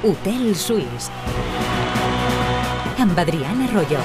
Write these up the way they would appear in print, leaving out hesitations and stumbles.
Hotel Suís amb Adrián Arroyo.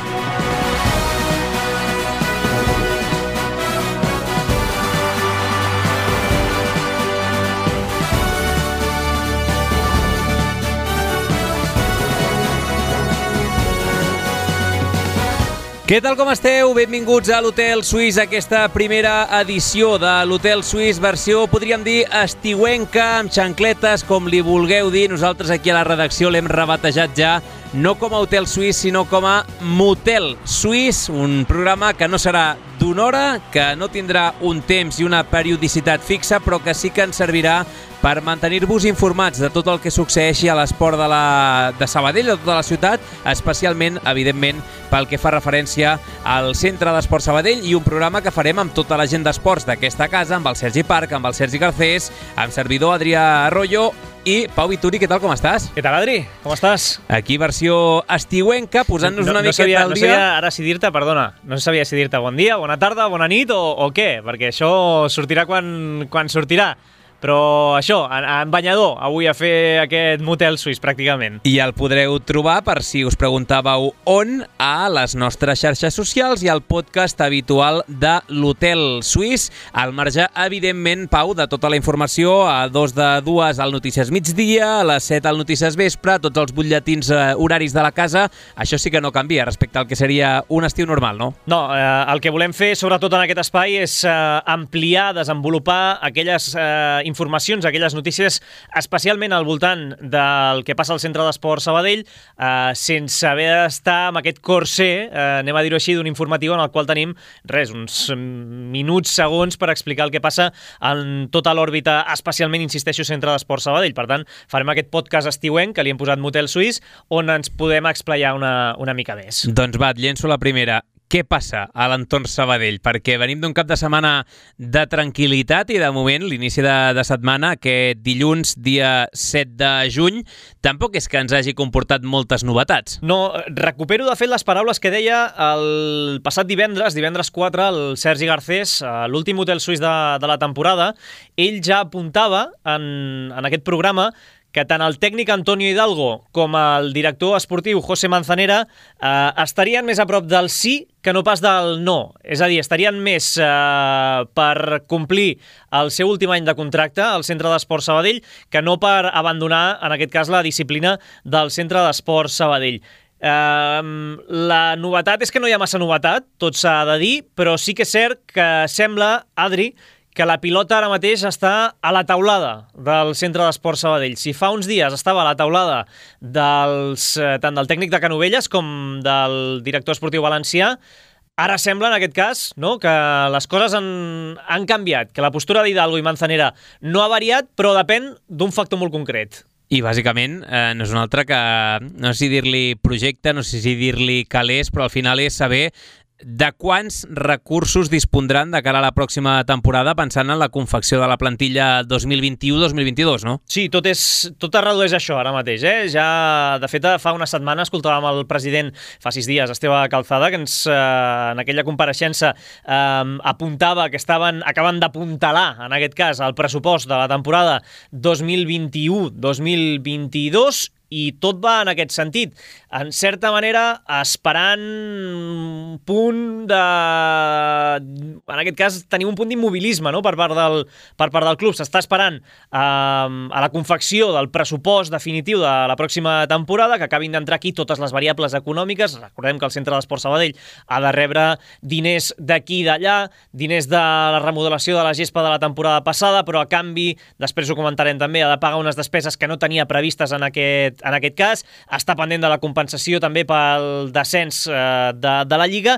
Què tal, com esteu? Benvinguts a l'Hotel Suís, aquesta primera edició de l'Hotel Suís, versió, podríem dir, estiuenca, amb xancletes, com li vulgueu dir. Nosaltres aquí a la redacció l'hem rebatejat ja, no com a Hotel Suís, sinó com a Motel Suís, un programa que no serà d'una hora, que no tindrà un temps i una periodicitat fixa, però que sí que ens servirà per mantenir-vos informats de tot el que succeeixi a l'esport de Sabadell, de tota la ciutat, especialment, evidentment, pel que fa referència al Centre d'Esport Sabadell, i un programa que farem amb tota la gent d'esports d'aquesta casa, amb el Sergi Parc, amb el Sergi Garcés, amb servidor Adrià Arroyo i Pau Vituri. Què tal, com estàs? Què tal, Adri? Com estàs? Aquí versió estiuenca, posant-nos una miqueta al dia. No sabia ara si dir-te, perdona, no sabia si dir-te bon dia, bona tarda, bona nit o què, perquè això sortirà quan sortirà. Però això, en banyador, avui a fer aquest Motel Suís, pràcticament. I el podreu trobar, per si us preguntàveu on, a les nostres xarxes socials i al podcast habitual de l'Hotel Suís. Al marge, evidentment, Pau, de tota la informació, a 2 al Notícies Migdia, a les 7 al Notícies Vespre, tots els butlletins horaris de la casa. Això sí que no canvia respecte al que seria un estiu normal, no? No, el que volem fer, sobretot en aquest espai, és ampliar, desenvolupar aquelles informacions, aquelles notícies, especialment al voltant del que passa al Centre d'Esport Sabadell, sense haver d'estar amb aquest corser, anem a dir-ho així, d'un informatiu en el qual tenim, uns minuts, segons, per explicar el que passa en tota l'òrbita, especialment, insisteixo, Centre d'Esport Sabadell. Per tant, farem aquest podcast estiuenc, que li hem posat Motel Suís, on ens podem explayar una mica més. Doncs va, et llenço la primera. Què passa a l'entorn Sabadell? Perquè venim d'un cap de setmana de tranquil·litat i de moment l'inici de setmana, aquest dilluns, dia 7 de juny, tampoc és que ens hagi comportat moltes novetats. No, recupero de fet les paraules que deia el passat divendres 4, el Sergi Garcés, l'últim Hotel Suís de la temporada. Ell ja apuntava en aquest programa que tant el tècnic Antonio Hidalgo com el director esportiu José Manzanera estarien més a prop del sí que no pas del no. És a dir, estarien més per complir el seu últim any de contracte al Centre d'Esport Sabadell que no per abandonar, en aquest cas, la disciplina del Centre d'Esport Sabadell. La novetat és que no hi ha massa novetat, tot s'ha de dir, però sí que és cert que sembla, Adri, que la pilota ara mateix està a la taulada del Centre d'Esport Sabadell. Si fa uns dies estava a la taulada tant del tècnic de Canovelles com del director esportiu valencià, ara sembla, en aquest cas, no, que les coses han canviat, que la postura d'Hidalgo i Manzanera no ha variat, però depèn d'un factor molt concret. I bàsicament no és un altre que, no sé si dir-li projecte, no sé si dir-li calés, però al final és saber de quants recursos dispondran de cara a la pròxima temporada, pensant en la confecció de la plantilla 2021-2022, no? Sí, tot es redueix a això ara mateix, Ja, de fet, fa una setmana escoltàvem el president, fa 6 dies, Esteve Calzada, que ens, en aquella compareixença, apuntava que acaben d'apuntalar, en aquest cas, el pressupost de la temporada 2021-2022, i tot va en aquest sentit. En certa manera, esperant un punt de... En aquest cas, tenir un punt d'immobilisme, no?, per part del club. S'està esperant a la confecció del pressupost definitiu de la pròxima temporada, que acabin d'entrar aquí totes les variables econòmiques. Recordem que el Centre d'Esport Sabadell ha de rebre diners d'aquí i d'allà, diners de la remodelació de la gespa de la temporada passada, però a canvi, després ho comentarem també, ha de pagar unes despeses que no tenia previstes en aquest cas, està pendent de la compensació també pel descens de la Lliga,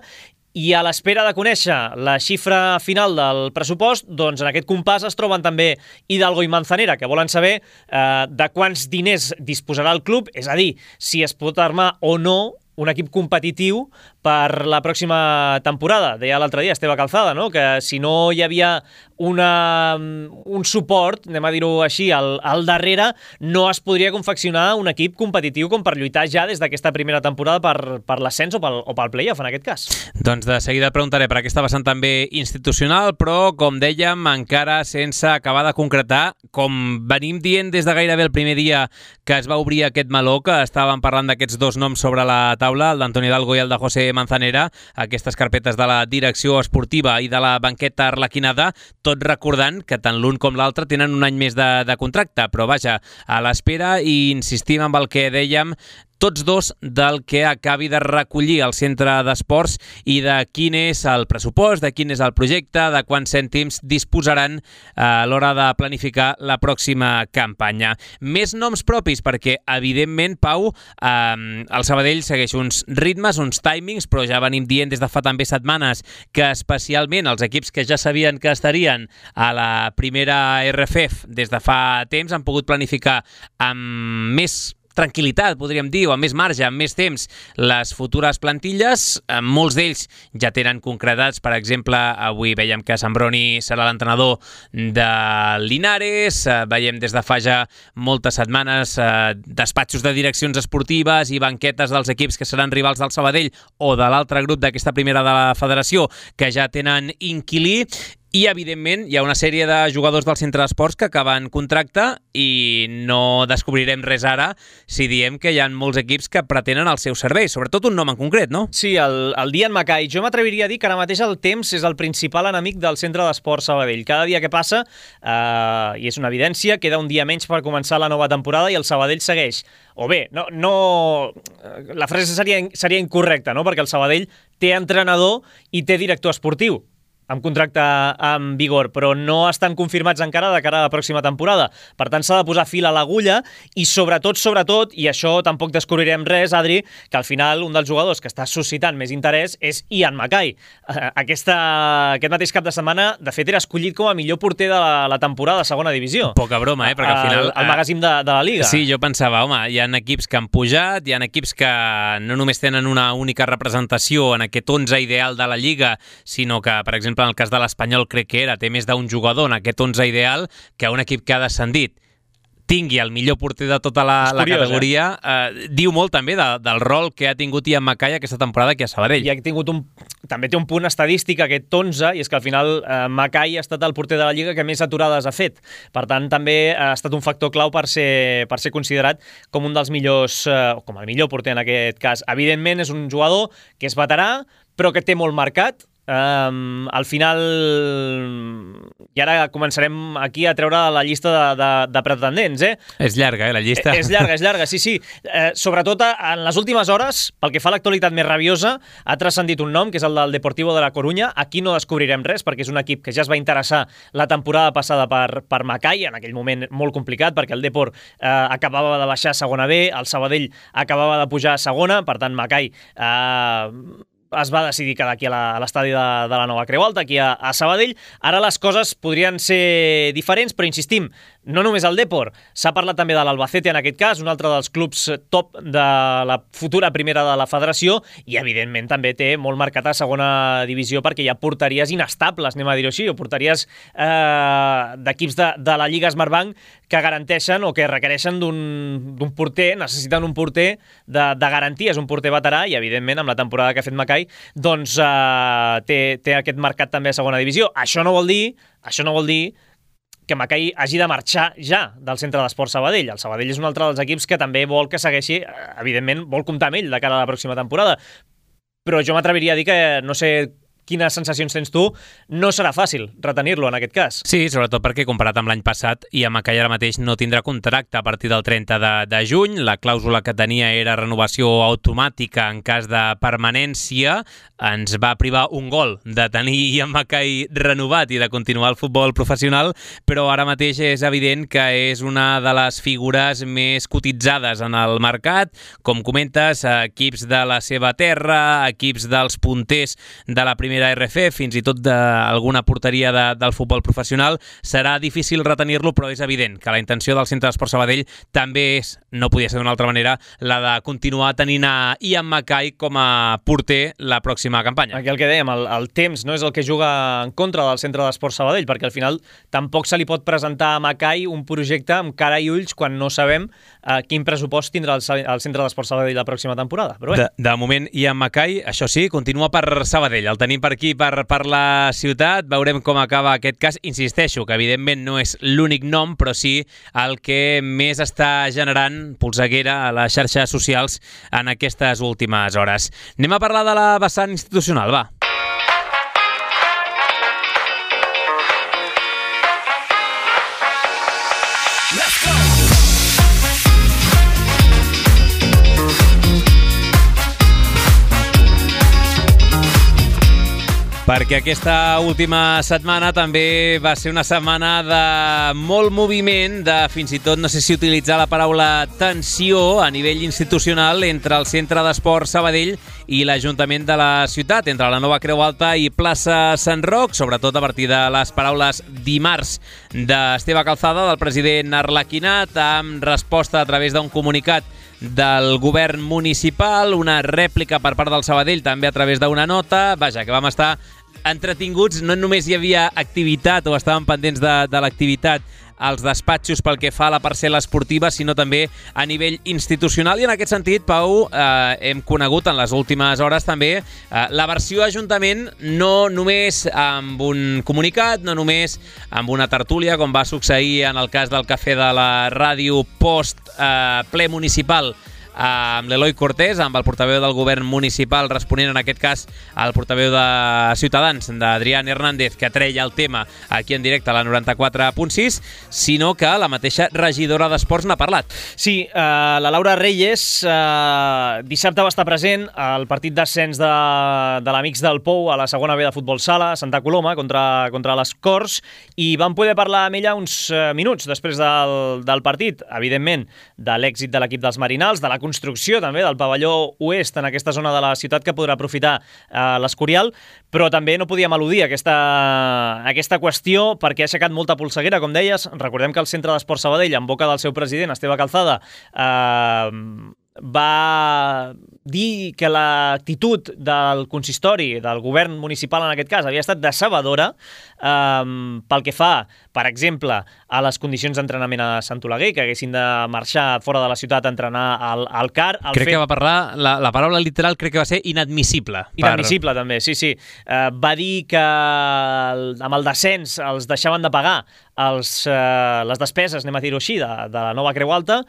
i a l'espera de conèixer la xifra final del pressupost, doncs en aquest compàs es troben també Hidalgo i Manzanera, que volen saber de quants diners disposarà el club, és a dir, si es pot armar o no un equip competitiu per la pròxima temporada. Deia l'altre dia Esteve Calzada, no? Que si no hi havia un suport, anem a dir-ho així, al darrere, no es podria confeccionar un equip competitiu com per lluitar ja des d'aquesta primera temporada per l'ascens o pel play-off, en aquest cas. Doncs de seguida et preguntaré per aquesta vessant també institucional, però, com dèiem, encara sense acabar de concretar, com venim dient des de gairebé el primer dia que es va obrir aquest meló, que estàvem parlant d'aquests dos noms sobre la taula, el d'Antoni Hidalgo i el de José Manzanera, aquestes carpetes de la direcció esportiva i de la banqueta arlequinada, tot recordant que tant l'un com l'altre tenen un any més de contracte, però vaja, a l'espera, i insistim amb el que dèiem, tots dos del que acabi de recollir el centre d'esports i de quin és el pressupost, de quin és el projecte, de quants cèntims disposaran a l'hora de planificar la pròxima campanya. Més noms propis, perquè evidentment, Pau, el Sabadell segueix uns ritmes, uns timings, però ja venim dient des de fa també setmanes que especialment els equips que ja sabien que estarien a la primera RFF des de fa temps han pogut planificar amb més tranquil·litat, podríem dir, o amb més marge, amb més temps, les futures plantilles. Molts d'ells ja tenen concretats, per exemple, avui veiem que Sambroni serà l'entrenador de Linares, veiem des de fa ja moltes setmanes despatxos de direccions esportives i banquetes dels equips que seran rivals del Sabadell o de l'altre grup d'aquesta primera de la federació que ja tenen inquilí. I, evidentment, hi ha una sèrie de jugadors del centre d'esports que acaben contracte i no descobrirem res ara si diem que hi ha molts equips que pretenen el seu servei, sobretot un nom en concret, no? Sí, el Dian Mackay. Jo m'atreviria a dir que ara mateix el temps és el principal enemic del centre d'esports Sabadell. Cada dia que passa, i és una evidència, queda un dia menys per començar la nova temporada i el Sabadell segueix. O bé, la frase seria incorrecta, no? Perquè el Sabadell té entrenador i té director esportiu amb contracte en vigor, però no estan confirmats encara de cara a la pròxima temporada. Per tant, s'ha de posar fil a l'agulla i sobretot, i això tampoc descobrirem res, Adri, que al final un dels jugadors que està suscitant més interès és Ian Mackay. Aquest mateix cap de setmana, de fet, era escollit com a millor porter de la temporada de segona divisió. Poca broma, perquè al final... El magazín de la Liga. Sí, jo pensava, home, hi ha equips que han pujat, hi ha equips que no només tenen una única representació en aquest 11 ideal de la Lliga, sinó que, per exemple, en el cas de l'Espanyol crec que té més d'un jugador en aquest 11 ideal que un equip que ha descendit tingui el millor porter de tota la categoria. Diu molt també del rol que ha tingut Ian Mackay aquesta temporada aquí a Sabadell. I també té un punt estadístic aquest 11, i és que al final Mackay ha estat el porter de la Lliga que més aturades ha fet. Per tant, també ha estat un factor clau per ser considerat com un dels millors, com el millor porter en aquest cas. Evidentment, és un jugador que és veterà, però que té molt marcat. Al final, i ara començarem aquí a treure la llista de pretendents, És llarga, la llista. És llarga, sí. Sobretot en les últimes hores, pel que fa a l'actualitat més rabiosa, ha transcendit un nom, que és el del Deportivo de la Corunya. Aquí no descobrirem res, perquè és un equip que ja es va interessar la temporada passada per Mackay, en aquell moment molt complicat, perquè el Depor acabava de baixar a segona B, el Sabadell acabava de pujar a segona, per tant Mackay es va decidir quedar aquí a l'estadi de la Nova Creu Alta, aquí a Sabadell. Ara les coses podrien ser diferents, però insistim, no només el Depor, s'ha parlat també de l'Albacete en aquest cas, un altre dels clubs top de la futura primera de la federació, i evidentment també té molt marcat a segona divisió perquè hi ha porteries inestables, anem a dir-ho així, o porteries d'equips de la Lliga Smartbank que garanteixen o que requereixen d'un porter, necessiten un porter de garanties, un porter veterà, i evidentment amb la temporada que ha fet Mackay doncs té aquest mercat també a segona divisió. Això no vol dir que Mackay hagi de marxar ja del centre d'esports Sabadell. El Sabadell és un altre dels equips que també vol que segueixi, evidentment vol comptar amb ell de cara a la pròxima temporada, però jo m'atreviria a dir que, no sé quines sensacions tens tu, no serà fàcil retenir-lo en aquest cas. Sí, sobretot perquè comparat amb l'any passat, Ian Mackay ara mateix no tindrà contracte a partir del 30 de juny. La clàusula que tenia era renovació automàtica en cas de permanència. Ens va privar un gol de tenir Ian Mackay renovat i de continuar el futbol professional, però ara mateix és evident que és una de les figures més cotitzades en el mercat. Com comentes, equips de la seva terra, equips dels punters de la primera primera RF, fins i tot d'alguna porteria del futbol professional. Serà difícil retenir-lo, però és evident que la intenció del Centre d'Esports Sabadell també és, no podia ser d'una altra manera, la de continuar tenint a Ian Mackay com a porter la pròxima campanya. Aquí el que dèiem, el temps no és el que juga en contra del Centre d'Esports Sabadell, perquè al final tampoc se li pot presentar a Mackay un projecte amb cara i ulls quan no sabem quin pressupost tindrà el Centre d'Esports Sabadell la pròxima temporada. Però bé. De moment, Ian Mackay, això sí, continua per Sabadell. El tenim per aquí, per la ciutat. Veurem com acaba aquest cas. Insisteixo que, evidentment, no és l'únic nom, però sí el que més està generant polseguera a les xarxes socials en aquestes últimes hores. Anem a parlar de la vessant institucional, va. Perquè aquesta última setmana també va ser una setmana de molt moviment, de fins i tot, no sé si utilitzar la paraula tensió a nivell institucional entre el Centre d'Esports Sabadell i l'Ajuntament de la ciutat, entre la Nova Creu Alta i plaça Sant Roc, sobretot a partir de les paraules dimarts d'Esteve Calzada, del president Arlequinat, amb resposta a través d'un comunicat del govern municipal, una rèplica per part del Sabadell també a través d'una nota. Vaja, que vam estar entretinguts, no només hi havia activitat o estàvem pendents de l'activitat als despatxos pel que fa a la parcel·la esportiva, sinó també a nivell institucional. I en aquest sentit, Pau, hem conegut en les últimes hores també la versió Ajuntament, no només amb un comunicat, no només amb una tertúlia, com va succeir en el cas del Cafè de la Ràdio post ple municipal, amb l'Eloi Cortés, amb el portaveu del govern municipal, responent en aquest cas al portaveu de Ciutadans, d'Adrián Hernández, que treia el tema aquí en directe a la 94.6, sinó que la mateixa regidora d'Esports n'ha parlat. Sí, la Laura Reyes dissabte va estar present al partit d'ascens de l'Amics del Pou a la segona B de futbol sala, a Santa Coloma, contra les Corts, i vam poder parlar amb ella uns minuts després del partit, evidentment, de l'èxit de l'equip dels Marinals, de la construcció també del pavelló oest en aquesta zona de la ciutat que podrà aprofitar l'Escorial, però també no podíem eludir aquesta qüestió perquè ha aixecat molta polseguera, com deies. Recordem que el Centre d'Esports Sabadell, en boca del seu president, Esteve Calzada, va dir que l'actitud del consistori, del govern municipal en aquest cas, havia estat decebedora pel que fa, per exemple, a les condicions d'entrenament a Sant Oleguer, que haguessin de marxar fora de la ciutat a entrenar al CAR. Crec que va parlar, la paraula literal crec que va ser inadmissible. Inadmissible, també, sí. Va dir que amb el descens els deixaven de pagar les despeses, anem a dir-ho així, de la Nova Creu Alta,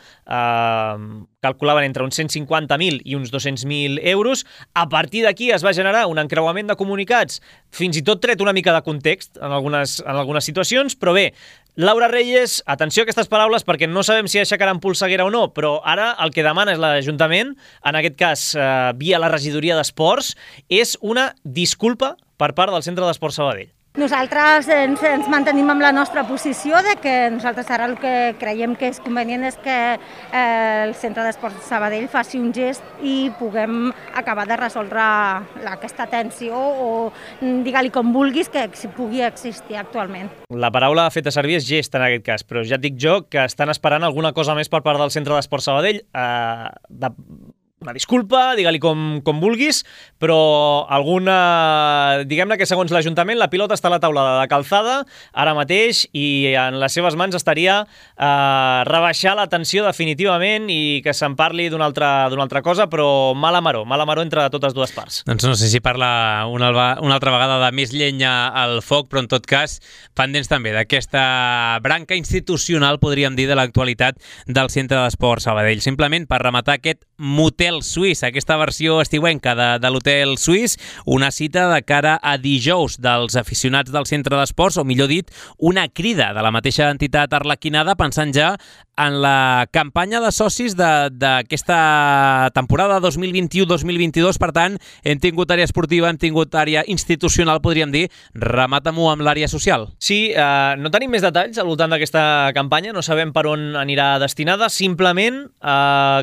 calculaven entre uns 150.000 i uns 200.000 euros. A partir d'aquí es va generar un encreuament de comunicats, fins i tot tret una mica de context en algunes situacions, però bé, Laura Reyes, atenció a aquestes paraules perquè no sabem si aixecaran polseguera o no, però ara el que demana és l'Ajuntament, en aquest cas via la regidoria d'Esports, és una disculpa per part del Centre d'Esports Sabadell. Nosaltres ens mantenim amb la nostra posició de que nosaltres ara el que creiem que és convenient és que el Centre d'Esports Sabadell faci un gest i puguem acabar de resoldre aquesta tensió o digue-li com vulguis que pugui existir actualment. La paraula feta servir és gest en aquest cas, però ja et dic jo que estan esperant alguna cosa més per part del Centre d'Esports Sabadell, una disculpa, digue-li com vulguis, però diguem-ne que segons l'Ajuntament la pilota està a la taula de Calzada ara mateix i en les seves mans estaria rebaixar la tensió definitivament i que se'n parli d'una altra cosa, però mala maró entre totes dues parts. Doncs no sé si parla una altra vegada de més llenya al foc, però en tot cas pendents també d'aquesta branca institucional, podríem dir, de l'actualitat del Centre d'Esports Sabadell. Simplement per rematar aquest motel suís, aquesta versió estiuenca de l'hotel suís, una cita de cara a dijous dels aficionats del Centre d'Esports, o millor dit, una crida de la mateixa entitat arlequinada pensant ja en la campanya de socis d'aquesta temporada 2021-2022. Per tant, hem tingut àrea esportiva, hem tingut àrea institucional, podríem dir. Remata-m'ho amb l'àrea social. Sí, no tenim més detalls al voltant d'aquesta campanya, no sabem per on anirà destinada, simplement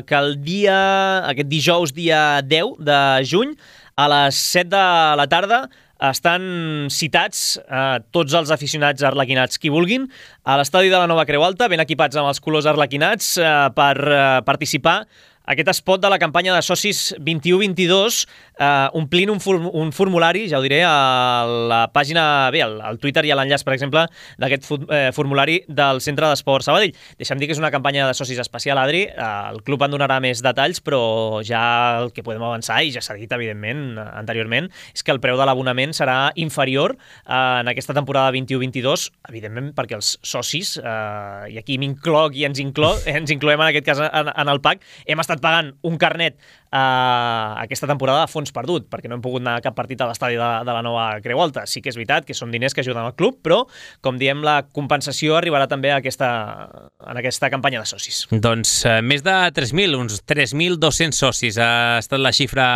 que aquest dijous, dia 10 de juny, a les 7 de la tarda, estan citats tots els aficionats arlequinats qui vulguin a l'estadi de la Nova Creu Alta, ben equipats amb els colors arlequinats per participar aquest spot de la campanya de socis 21-22, omplint un formulari, ja ho diré, a la pàgina, bé, al Twitter hi ha l'enllaç, per exemple, d'aquest formulari del Centre d'Esport Sabadell. Deixa'm dir que és una campanya de socis especial, Adri, el club en donarà més detalls, però ja el que podem avançar, i ja s'ha dit, evidentment, anteriorment, és que el preu de l'abonament serà inferior en aquesta temporada 21-22, evidentment perquè els socis, i aquí m'incloc i ens incloem en aquest cas en el PAC, hem estat pagant un carnet aquesta temporada a fons perdut, perquè no hem pogut anar a cap partit a l'estadi de la Nova Creu Alta. Sí que és veritat que són diners que ajuden al club, però, com diem, la compensació arribarà també en aquesta campanya de socis. Doncs més de 3.000, uns 3.200 socis ha estat la xifra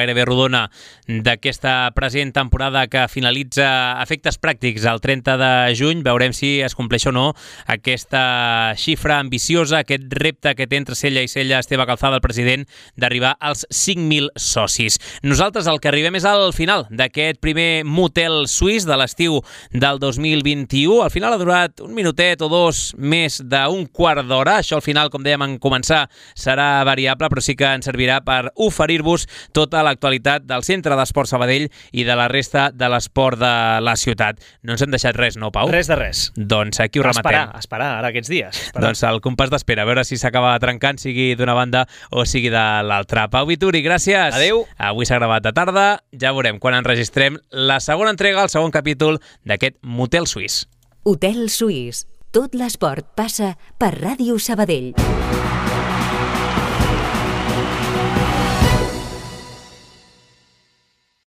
gairebé rodona d'aquesta present temporada que finalitza a efectes pràctics el 30 de juny. Veurem si es compleix o no aquesta xifra ambiciosa, aquest repte que té entre cella i cella Esteve Calzada, el president, d'arribar als 5.000 socis. Nosaltres el que arribem és al final d'aquest primer motel suís de l'estiu del 2021. Al final ha durat un minutet o dos més d'un quart d'hora. Això al final, com dèiem en començar, serà variable, però sí que ens servirà per oferir-vos tota l'actualitat del Centre d'Esport Sabadell i de la resta de l'esport de la ciutat. No ens hem deixat res, no, Pau? Res de res. Doncs aquí ho rematem. Esperar, ara aquests dies. Doncs el compàs d'espera, a veure si s'acaba trencant, sigui d'una banda o sigui de l'altra. Pau Vituri, gràcies. Adéu. Avui s'ha gravat de tarda, ja veurem quan enregistrem la segona entrega, el segon capítol d'aquest motel suís. Hotel Suís. Tot l'esport passa per Ràdio Sabadell.